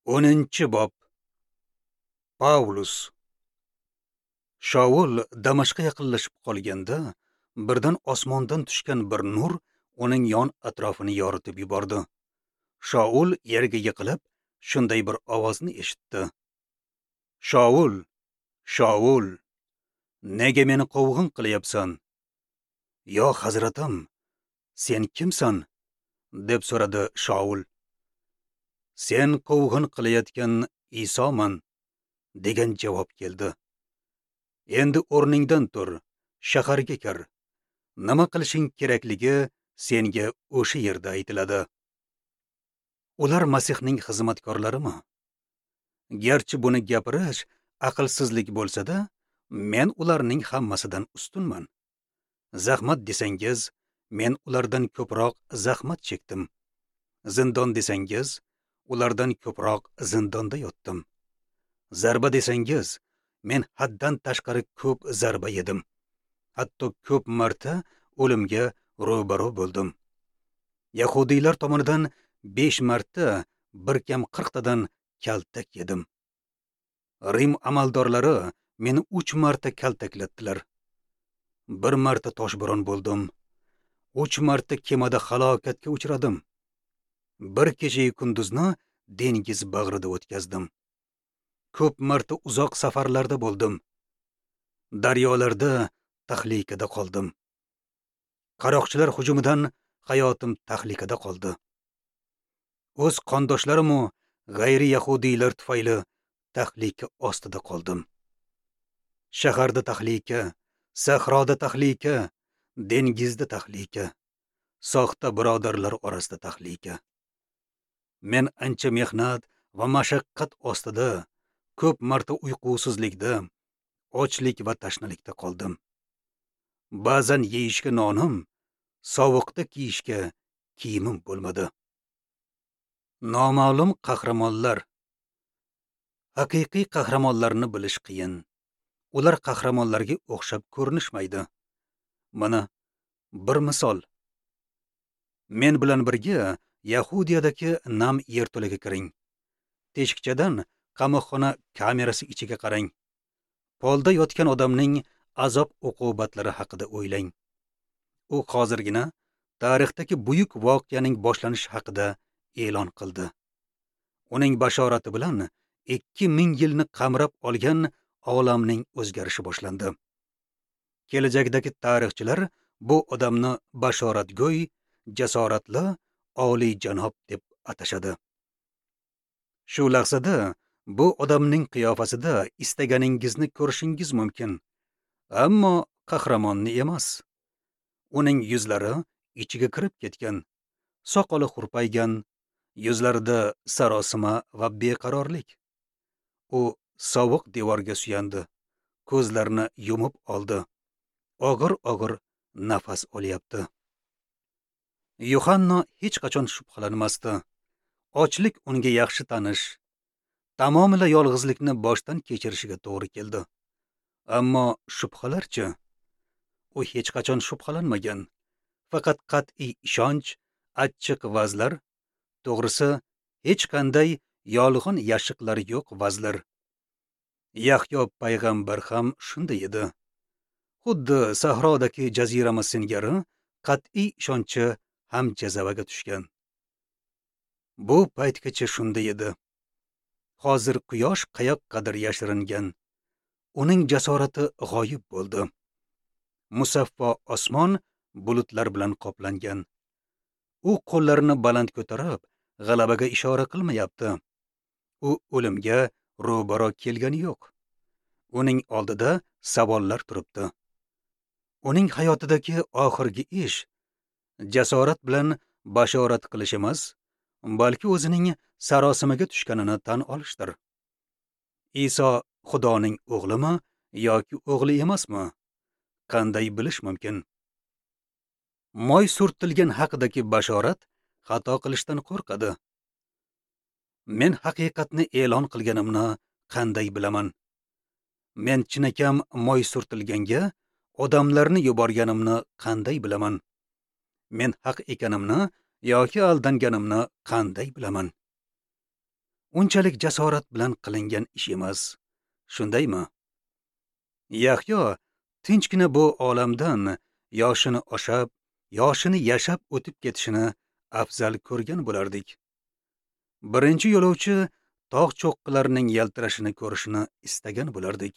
10-bob. Pavlus. Shaul Damashqqa yaqinlashib qolganda, birdan osmondan tushgan bir nur uning yon atrofini yoritib yubordi. Shaul yerga yiqilib, shunday bir ovozni eshitdi. Shaul, Shaul, nega meni quvg'in qilyapsan? Yo hazratim, sen kimsan? Deb so'radi Shaul. Sen quvg'in qilayotgan Isoman, degan javob keldi. Endi o'rningdan tur, shaharga kir. Nima qilishing kerakligi senga o'sha yerda aytiladi. Ular Masihning xizmatkorlarimi? Garchi buni gapirish aqlsizlik bo'lsa-da, men ularning hammasidan ustunman. Zahmat desangiz, men ulardan ko'proq zahmat chekdim. Zindon desangiz, ulardan ko'proq zindonda yotdim. Zarba desangiz, men haddan tashqari ko'p zarba yedim. Hatto ko'p marta o'limga ro'baro bo'ldim. Yahudiylar tomonidan 5 marta bir kam 40 tadan kaltak yedim. Rim amaldorlari meni 3 marta kaltaklatdilar. 1 marta toshbo'ron bo'ldim. 3 marta kemada halokatga uchradim. Bir kecha kunduzni dengiz bag'rida o'tkazdim. Ko'p marta uzoq safarlarda bo'ldim. Daryolarda tahlikada qoldim. Qaroqchilar hujumidan hayotim tahlikada qoldi. O'z qondoshlarim u g'ayri yahudiylar tufayli tahlika ostida qoldim. Shaharda tahlika, sahroda tahlika, dengizda tahlika, soxta birodarlar orasida tahlika. Men ancha mehnat va mashaqqat ostida, ko'p marta uyqusizlikda, ochlik va tashnalikda qoldim. Ba'zan yeyishga nonim, sovuqda kiyishga kiyimim bo'lmadi. Noma'lum qahramonlar. Haqiqiy qahramonlarni bilish qiyin. Ular qahramonlarga o'xshab ko'rinishmaydi. Mana bir misol. Men bilan birga Yahudiyadagi nam yerto'laga kiring. Teshikchadan qamoqxona kamerasi ichiga qarang. Polda yotgan odamning azob uqubatlari haqida o'ylang. U hozirgina tarixdagi buyuk voqeaning boshlanishi haqida e'lon qildi. Uning bashorati bilan 2000 yilni qamrab olgan olamning o'zgarishi boshlandi. Kelajakdagi tarixchilar bu odamni bashoratgo'y, jasoratli, oliy janob deb atashadi. Shu lahzada bu odamning qiyofasida istaganingizni ko'rishingiz mumkin, ammo qahramonni emas. Uning yuzlari ichiga kirib ketgan, soqoli hurpaygan, yuzlarida sarosima va beqarorlik. U sovuq devorga suyandi, ko'zlarini yumib oldi. Og'ir-og'ir nafas olyapti. Yuhanna hech qachon shubhalanmasdi. Ochlik unga yaxshi tanish. Tamomila yolg'izlikni boshdan kechirishiga to'g'ri keldi. Ammo shubhalarchi? U hech qachon shubhalanmagan. Faqat qat'iy ishonch, achchiq vazlar, to'g'risi hech qanday yolg'on yashiqlar yo'q vazlar. Yahyo payg'ambar ham shunday edi. Xuddi sahrodagi jazirama singari qat'iy ishonchi ham jazavaga tushgan. Bu paytgacha shunday edi. Hozir quyosh qayoqqadir yashiringan. Uning jasorati g'oyib bo'ldi. Musaffo osmon bulutlar bilan qoplangan. U qo'llarini baland ko'tarib, g'alabaga ishora qilmayapti. U o'limga ro'baro kelgani yo'q. Uning oldida savollar turibdi. Uning hayotidagi oxirgi ish jasorat bilan bashorat qilish emas, balki o'zining sarosimaga tushganini tan olishdir. Iso Xudoning o'g'limi yoki o'g'li emasmi? Qanday bilish mumkin? Moy surtilgan haqidagi bashorat xato qilishdan qo'rqadi. Men haqiqatni e'lon qilganimni qanday bilaman? Men chinakam moy surtilganga odamlarni yuborganimni qanday bilaman? Men haq ekanimni yoki aldanganimni qanday bilaman? Unchalik jasorat bilan qilingan ish emas. Shundaymi? Yahyo tinchgina bu olamdan yoshini oshab, yoshini yashab o'tib ketishini afzal ko'rgan bo'lardik. Birinchi yo'lovchi tog' cho'qqilarining yaltirashini ko'rishini istagan bo'lardik.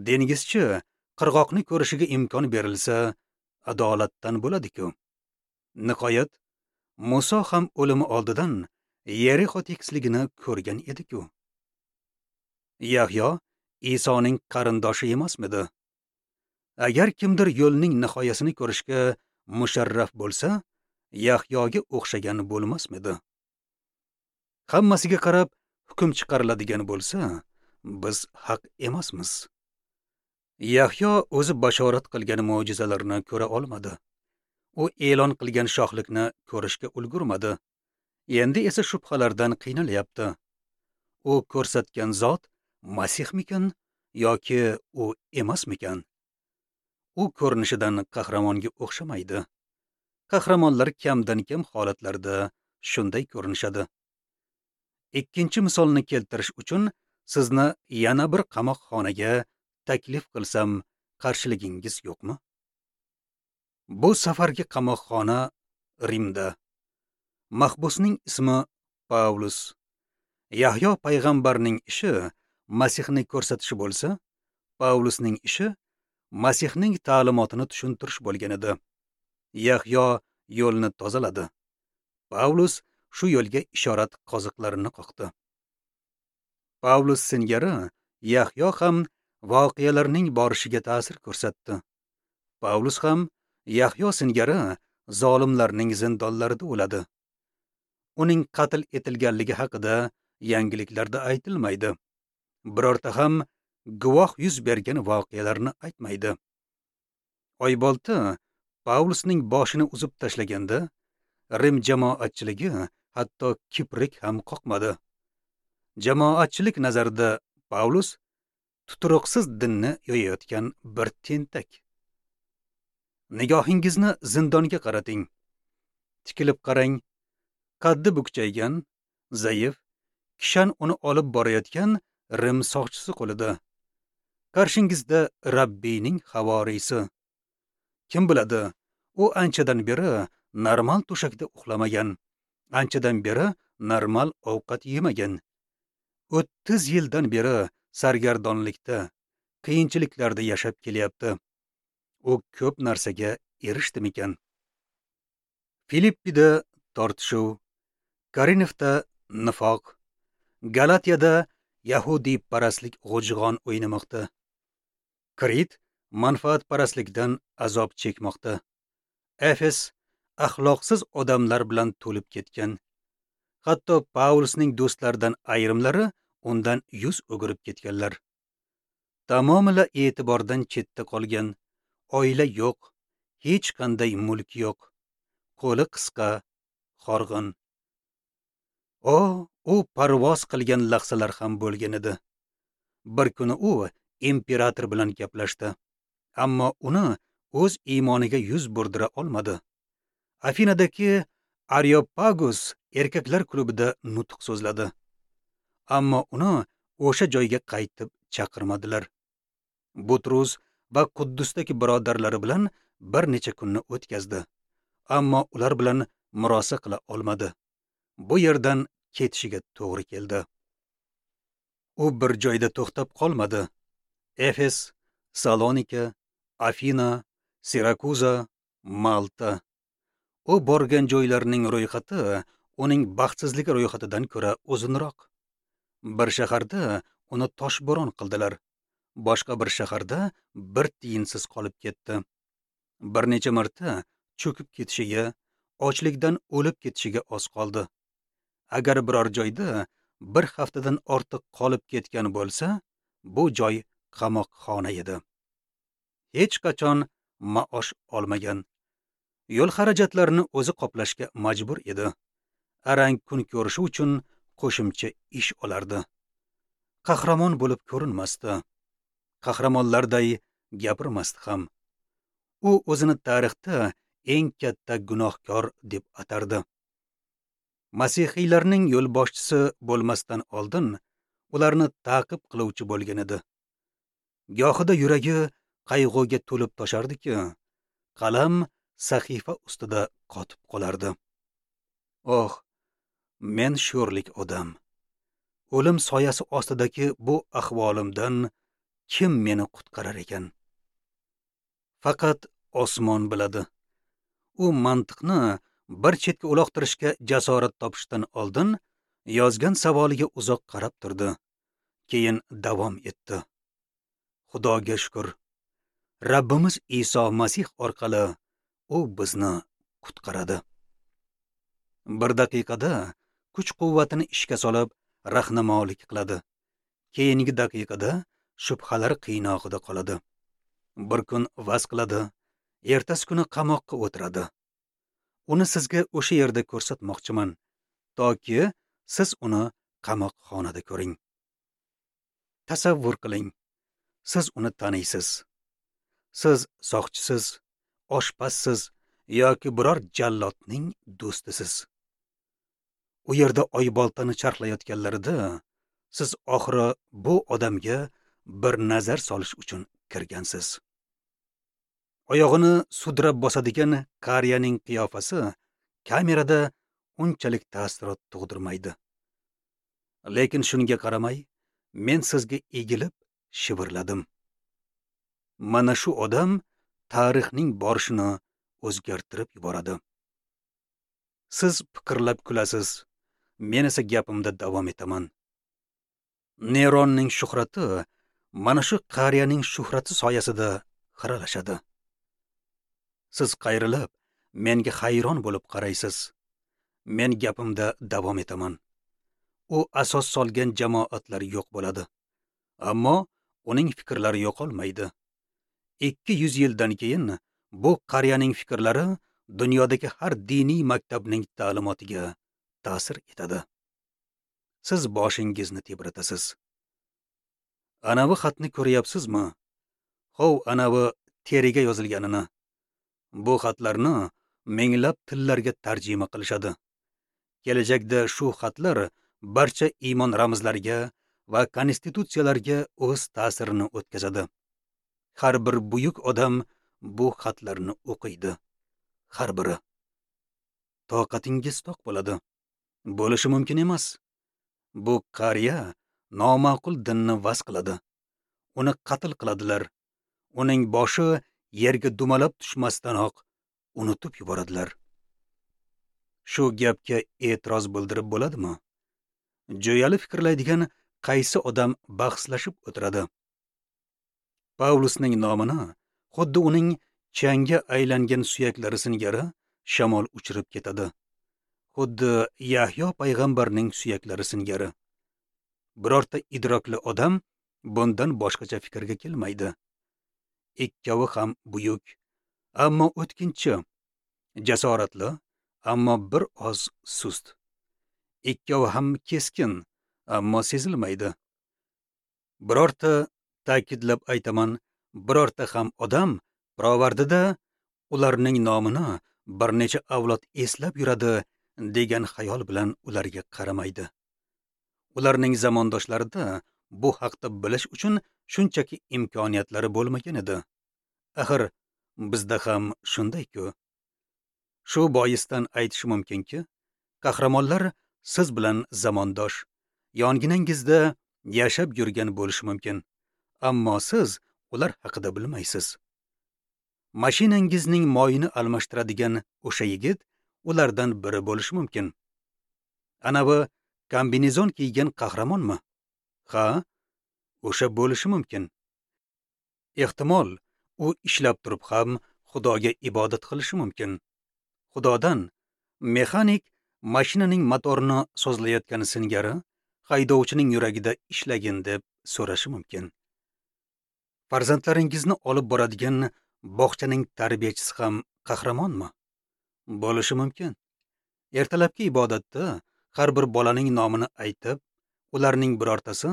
Dengizchi qirg'oqni ko'rishiga imkon berilsa, adolatdan bo'ladi-ku. Nihoyat, Muso ham o'limi oldidan Yerixo tekisligini ko'rgan edi-ku. Yahyo Isoning qarindoshi emasmidi? Agar kimdir yo'lning nihoyasini ko'rishga musharraf bo'lsa, Yahyoga o'xshagan bo'lmasmidi? Hammasiga qarab hukm chiqariladigan bo'lsa, biz haq emasmiz. Yahyo o'zi bashorat qilgan mo'jizalarni ko'ra olmadi. U e'lon qilgan shohlikni ko'rishga ulgurmadi. Endi esa shubhalardan qiynalyapti. U ko'rsatgan zot Masihmikan yoki u emasmikan? U ko'rinishidan qahramonga o'xshamaydi. Qahramonlar kamdan-kam holatlarda shunday ko'rinishadi. Ikkinchi misolni keltirish uchun sizni yana bir qamoqxonaga taklif qilsam, qarshiligingiz yo'qmi? Bu safargi qamoqxona Rimda. Mahbusning ismi Pavlus. Yahyo payg'ambarning ishi Masihni ko'rsatishi bo'lsa, Pavlusning ishi Masihning ta'limotini tushuntirish bo'lgan edi. Yahyo yo'lni tozaladi. Pavlus shu yo'lga ishorat qoziqlarini qoqdi. Pavlus singari Yahyo ham voqealarning borishiga ta'sir ko'rsatdi. Pavlus ham Yahyo singari zolimlarning zindonlarida o'ladi. Uning qatl etilganligi haqida yangiliklarda aytilmaydi. Birorta ham guvoh yuz bergan voqealarni aytmaydi. Oybolta Pavlusning boshini uzib tashlaganda, Rim jamoatchiligi hatto kiprik ham qoqmadi. Jamoatchilik nazarida Pavlus tuturuqsiz dinni yoyayotgan bir tentak. Nigohingizni zindonga qarating. Tikilib qarang. Qaddi bukchaygan, zaif, kishan uni olib borayotgan Rim soqchisi qo'lida. Qarshingizda Rabbiyning havoriysi. Kim biladi, u anchadan beri normal to'shakda uxlamagan, anchadan beri normal ovqat yemagan. 30 yildan beri sargardonlikda, qiyinchiliklarda yashab kelyapti. U ko'p narsaga erishdimikan? Filippida tortishuv, Korinfda nifoq, Galatiyada yahudiyparastlik g'ujg'on o'ynamoqda. Krit manfaatparastlikdan azob chekmoqda. Efes axloqsiz odamlar bilan to'lib ketgan. Hatto Pavlusning do'stlaridan ayrimlari undan yuz o'girib ketganlar. Tamomila e'tibordan chetda qolgan, oila yo'q, hech qanday mulk yo'q. Qo'li qisqa, horg'in. U parvoz qilgan lahzalar ham bo'lgan edi. Bir kuni u imperator bilan gaplashdi, ammo uni o'z iymoniga yuz burdira olmadi. Afinadagi Areopagus erkaklar klubida nutq so'zladi, ammo uni o'sha joyga qaytib chaqirmadilar. Butrus va Quddusdagi birodarlari bilan bir necha kunni o'tkazdi, ammo ular bilan murosa qila olmadi. Bu yerdan ketishiga to'g'ri keldi. U bir joyda to'xtab qolmadi. Efes, Salonika, Afina, Sirakuza, Malta. U borgan joylarning ro'yxati uning baxtsizligi ro'yxatidan ko'ra uzunroq. Bir shaharda uni toshbo'ron qildilar. Boshqa bir shaharda bir tiyinsiz qolib ketdi. Bir necha marta cho'kib ketishiga, ochlikdan o'lib ketishiga oz qoldi. Agar biror joyda bir haftadan ortiq qolib ketgan bo'lsa, bu joy qamoqxona edi. Hech qachon maosh olmagan. Yo'l xarajatlarini o'zi qoplashga majbur edi. Arang kun ko'rishi uchun qo'shimcha ish olardi. Qahramon bo'lib ko'rinmasdi. Qahramonlarday gapirmasdi ham. U o'zini tarixda eng katta gunohkor deb atardi. Masihiylarning yo'lboshchisi bo'lmasdan oldin ularni ta'qib qiluvchi bo'lgan edi. Gohida yuragi qayg'uga to'lib toshardiki, qalam sahifa ustida qotib qolardi. Oh, men sho'rlik odam. O'lim soyasi ostidagi bu ahvolimdan kim meni qutqarar ekan? Faqat osmon biladi. U mantiqni bir chetga uloqtirishga jasorat topishdan oldin yozgan savoliga uzoq qarab turdi. Keyin davom etdi. Xudoga shukr, Rabbimiz Iso Masih orqali u bizni qutqaradi. Bir daqiqada kuch-quvvatini ishga solib, rahnamolik qiladi. Keyingi daqiqada shubhalar qiynog'ida qoladi. Bir kun vaz qiladi, ertasi kuni qamoqqa o'tiradi. Uni sizga o'sha yerda ko'rsatmoqchiman, toki siz uni qamoqxonada ko'ring. Tasavvur qiling, siz uni taniysiz. Siz soqchisiz, oshpazsiz yoki biror jallodning do'stisiz. U yerda oyboltani charxlayotganlarida siz oxiri bu odamga bir nazar solish uchun kirgansiz. Oyog'ini sudrab bosadigan qariyaning qiyofasi kamerada unchalik ta'sirot tug'dirmaydi. Lekin shunga qaramay, men sizga egilib shivirladim. Mana shu odam tarixning borishini o'zgartirib yuboradi. Siz piqirlab kulasiz, men esa gapimda davom etaman. Neronning shuhrati mana shu qariyaning shuhrati soyasida xiralashadi. Siz qayrilib, menga hayron bo'lib qaraysiz. Men gapimda davom etaman. U asos solgan jamoatlar yo'q bo'ladi. Ammo uning fikrlari yo'qolmaydi. 200 yildan keyin bu qariyaning fikrlari dunyodagi har diniy maktabning ta'limotiga ta'sir etadi. Siz boshingizni tebratasiz. Anavi xatni ko'ryapsizmi? Hov, anavi teriga yozilganini. Bu xatlarni minglab tillarga tarjima qilishadi. Kelajakda shu xatlar barcha iymon ramzlariga va konstitutsiyalarga o'z ta'sirini o'tkazadi. Har bir buyuk odam bu xatlarni o'qiydi. Har biri. Toqatingiz toq bo'ladi. Bo'lishi mumkin emas. Bu qariya noma'qul dinni vaz qiladi. Uni qatl qiladilar. Uning boshi yerga dumalab tushmasdanoq unutib yuboradilar. Shu gapga e'tiroz bildirib bo'ladimi? Jo'yali fikrlaydigan qaysi odam bahslashib o'tiradi? Pavlusning nomini xuddi uning changga aylangan suyaklari singari shamol uchirib ketadi. Xuddi Yahyo payg'ambarning suyaklari singari. Birorta idrokli odam bundan boshqacha fikrga kelmaydi. Ikkovi ham buyuk, ammo o'tkinchi, jasoratli, ammo bir oz sust. Ikkovi ham keskin, ammo sezilmaydi. Birorta, ta'kidlab aytaman, birorta ham odam pirovardida ularning nomini bir necha avlod eslab yuradi degan xayol bilan ularga qaramaydi. Ularning zamondoshlarida bu haqda bilish uchun shunchaki imkoniyatlari bo'lmagan edi. Axir bizda ham shunday-ku. Shu boisdan aytish mumkinki, qahramonlar siz bilan zamondosh, yonginangizda yashab yurgan bo'lishi mumkin, ammo siz ular haqida bilmaysiz. Mashinangizning moyini almashtiradigan o'sha yigit ulardan biri bo'lishi mumkin. Anavi kombinezon kiygan qahramonmi? Ha, o'sha bo'lishi mumkin. Ehtimol, u ishlab turib ham Xudoga ibodat qilishi mumkin. Xudodan mexanik mashinaning motorini sozlayotgani singari haydovchining yuragida ishlagin deb so'rashi mumkin. Farzandlaringizni olib boradigan bog'chaning tarbiyachisi ham qahramonmi? Bo'lishi mumkin. Ertalabki ibodatda har bir bolaning nomini aytib, ularning birortasi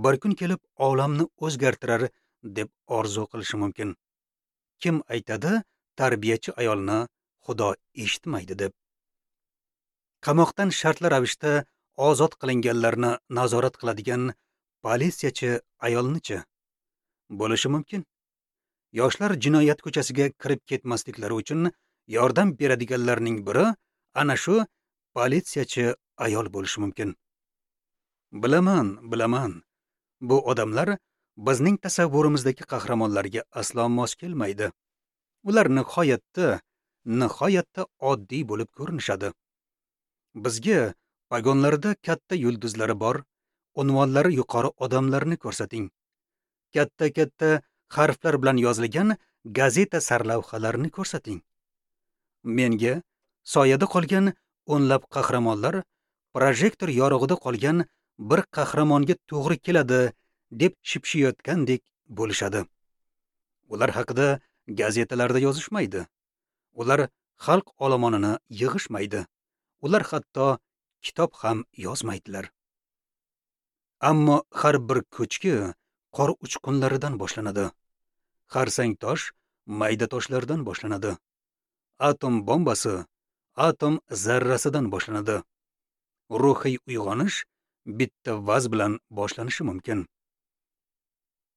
bir kun kelib olamni o'zgartirar deb orzu qilishi mumkin. Kim aytadi tarbiyachi ayolni Xudo eshitmaydi deb? Qamoqdan shartli ravishda ozod qilinganlarni nazorat qiladigan politsiyachi ayolnichi? Bo'lishi mumkin. Yoshlar jinoyat ko'chasiga kirib ketmasliklari uchun yordam beradiganlarning biri ana shu politsiyachi ayol bo'lishi mumkin. Bilaman, bilaman. Bu odamlar bizning tasavvurimizdagi qahramonlarga aslo mos kelmaydi. Ular nihoyatda oddiy bo'lib ko'rinishadi. Bizga pagonlarda katta yulduzlari bor, unvonlari yuqori odamlarni ko'rsating. Katta-katta harflar bilan yozilgan gazeta sarlavhalarini ko'rsating. Menga soyada qolgan o'nlab qahramonlar projektor yorug'ida qolgan bir qahramonga to'g'ri keladi deb shipshiyotgandek bo'lishadi. Ular haqida gazetalarda yozishmaydi. Ular xalq olomonini yig'ishmaydi. Ular hatto kitob ham yozmaydilar. Ammo har bir ko'chki qor uchqunlaridan boshlanadi. Xarsang tosh mayda toshlardan boshlanadi. Atom bombasi atom zarrasidan boshlanadi. Ruhiy uyg'onish bitta vaz bilan boshlanishi mumkin.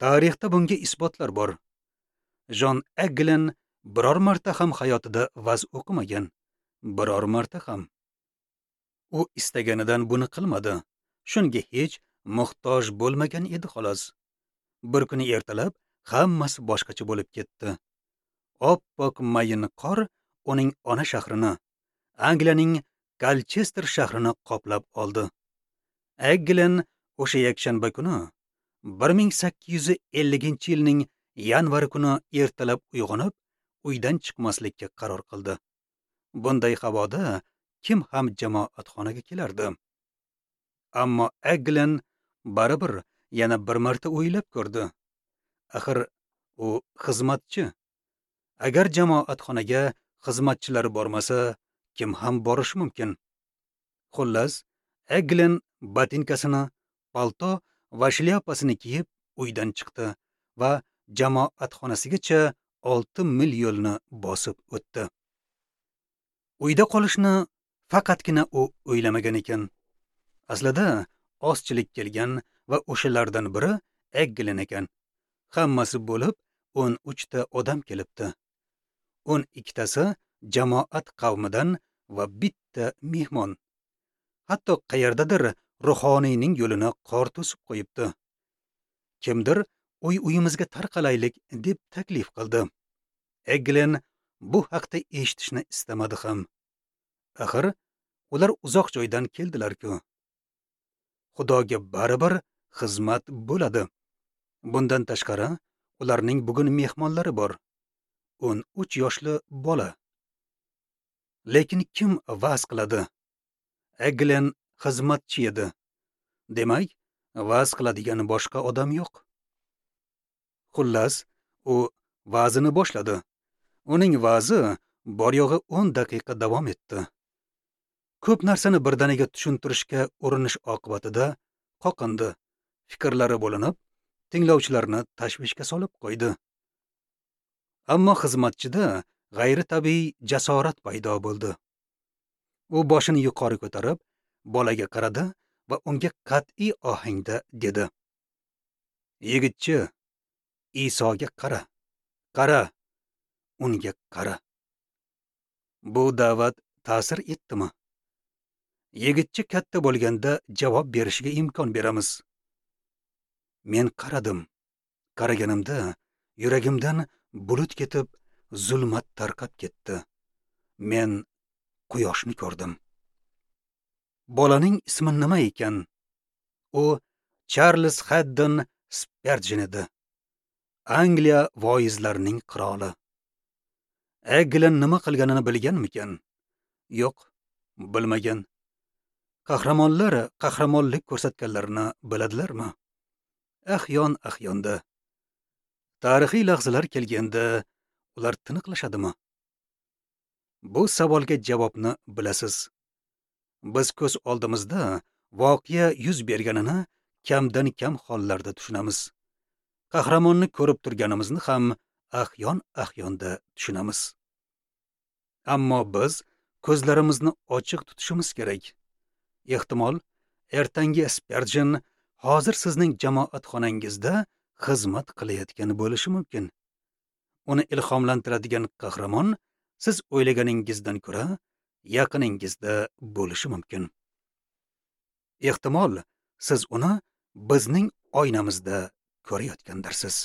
Tarixda bunga isbotlar bor. Jon Eglin biror marta ham hayotida vaz o'qimagan. Biror marta ham. U istaganidan buni qilmadi. Shunga hech muhtoj bo'lmagan edi xolos. Bir kuni ertalab hammasi boshqacha bo'lib ketdi. Oppoq mayin qor uning ona shahrini, Angliyaning Kolchester shahrini qoplab oldi. Eglin o'sha yakshanba kuni 1850-yilning yanvar kuni ertalab uyg'onib, uydan chiqmaslikka qaror qildi. Bunday havoda kim ham jamoatxonaga kelardi? Ammo Eglin baribir yana bir marta o'ylab ko'rdi. Axir u xizmatchi. Agar jamoatxonaga xizmatchilar bormasa, kim ham borishi mumkin? Xullas, Eglin botinkasini, palto va shlyapasini kiyib uydan chiqdi va jamoatxonasigacha 6 mil yo'lni bosib o'tdi. Uyda qolishni faqatgina u o'ylamagan ekan. Aslida ozchilik kelgan va o'shalardan biri Eglin ekan. Hammasi bo'lib 13 ta odam kelibdi. 12 tasi jamoat qavmidan va bitta mehmon. Hatto qayerdadir ruhoniyning yo'lini qor to'sib qo'yibdi. Kimdir uy-uyimizga tarqalaylik deb taklif qildi. Eglin bu haqda eshitishni istamadi ham. Axir ular uzoq joydan keldilar-ku. Xudoga baribir xizmat bo'ladi. Bundan tashqari, ularning bugun mehmonlari bor. 13 yoshli bola. Lekin kim va'z qiladi? Eglin xizmatchi edi. Demak, va'z qiladigan boshqa odam yo'q. Xullas, u va'zini boshladi. Uning va'zi bor yo'g'i 10 daqiqa davom etdi. Ko'p narsani birdaniga tushuntirishga urinish oqibatida qoqindi. Fikrlari bo'linib, tinglovchilarni tashvishga solib qo'ydi. Ammo xizmatchida g'ayritabiiy jasorat paydo bo'ldi. U boshini yuqori ko'tarib, bolaga qaradi va unga qat'iy ohangda dedi: "Yigitchi, Isoga qara. Qara, unga qara." Bu da'vat ta'sir etdimi? Yigitchi katta bo'lganda javob berishiga imkon beramiz. Men qaradim. Qaraganimda yuragimdan bulut ketib, zulmat tarqab ketdi. Men quyoshni ko'rdim. Bolaning ismi nima ekan? U Charles Haddon Spurgeon edi. Angliya voizlarining qiroli. Eglin nima qilganini bilganmikan? Yo'q, bilmagan. Qahramonlar qahramonlik ko'rsatganlarini biladilarmi? Ahyon ahyonda. Tarixiy lahzalar kelganda ular tiniqlashadimi? Bu savolga javobni bilasiz. Biz ko'z oldimizda voqea yuz berganini kamdan kam hollarda tushunamiz. Qahramonni ko'rib turganimizni ham ahyon ahyonda tushunamiz. Ammo biz ko'zlarimizni ochiq tutishimiz kerak. Ehtimol, ertangi Sperjen hozir sizning jamoat xonangizda xizmat qilayotgan bo'lishi mumkin. Uni ilhomlantiradigan qahramon siz o'ylaganingizdan ko'ra yaqiningizda bo'lishi mumkin. Ehtimol, siz uni bizning oynamizda ko'rayotgandirsiz.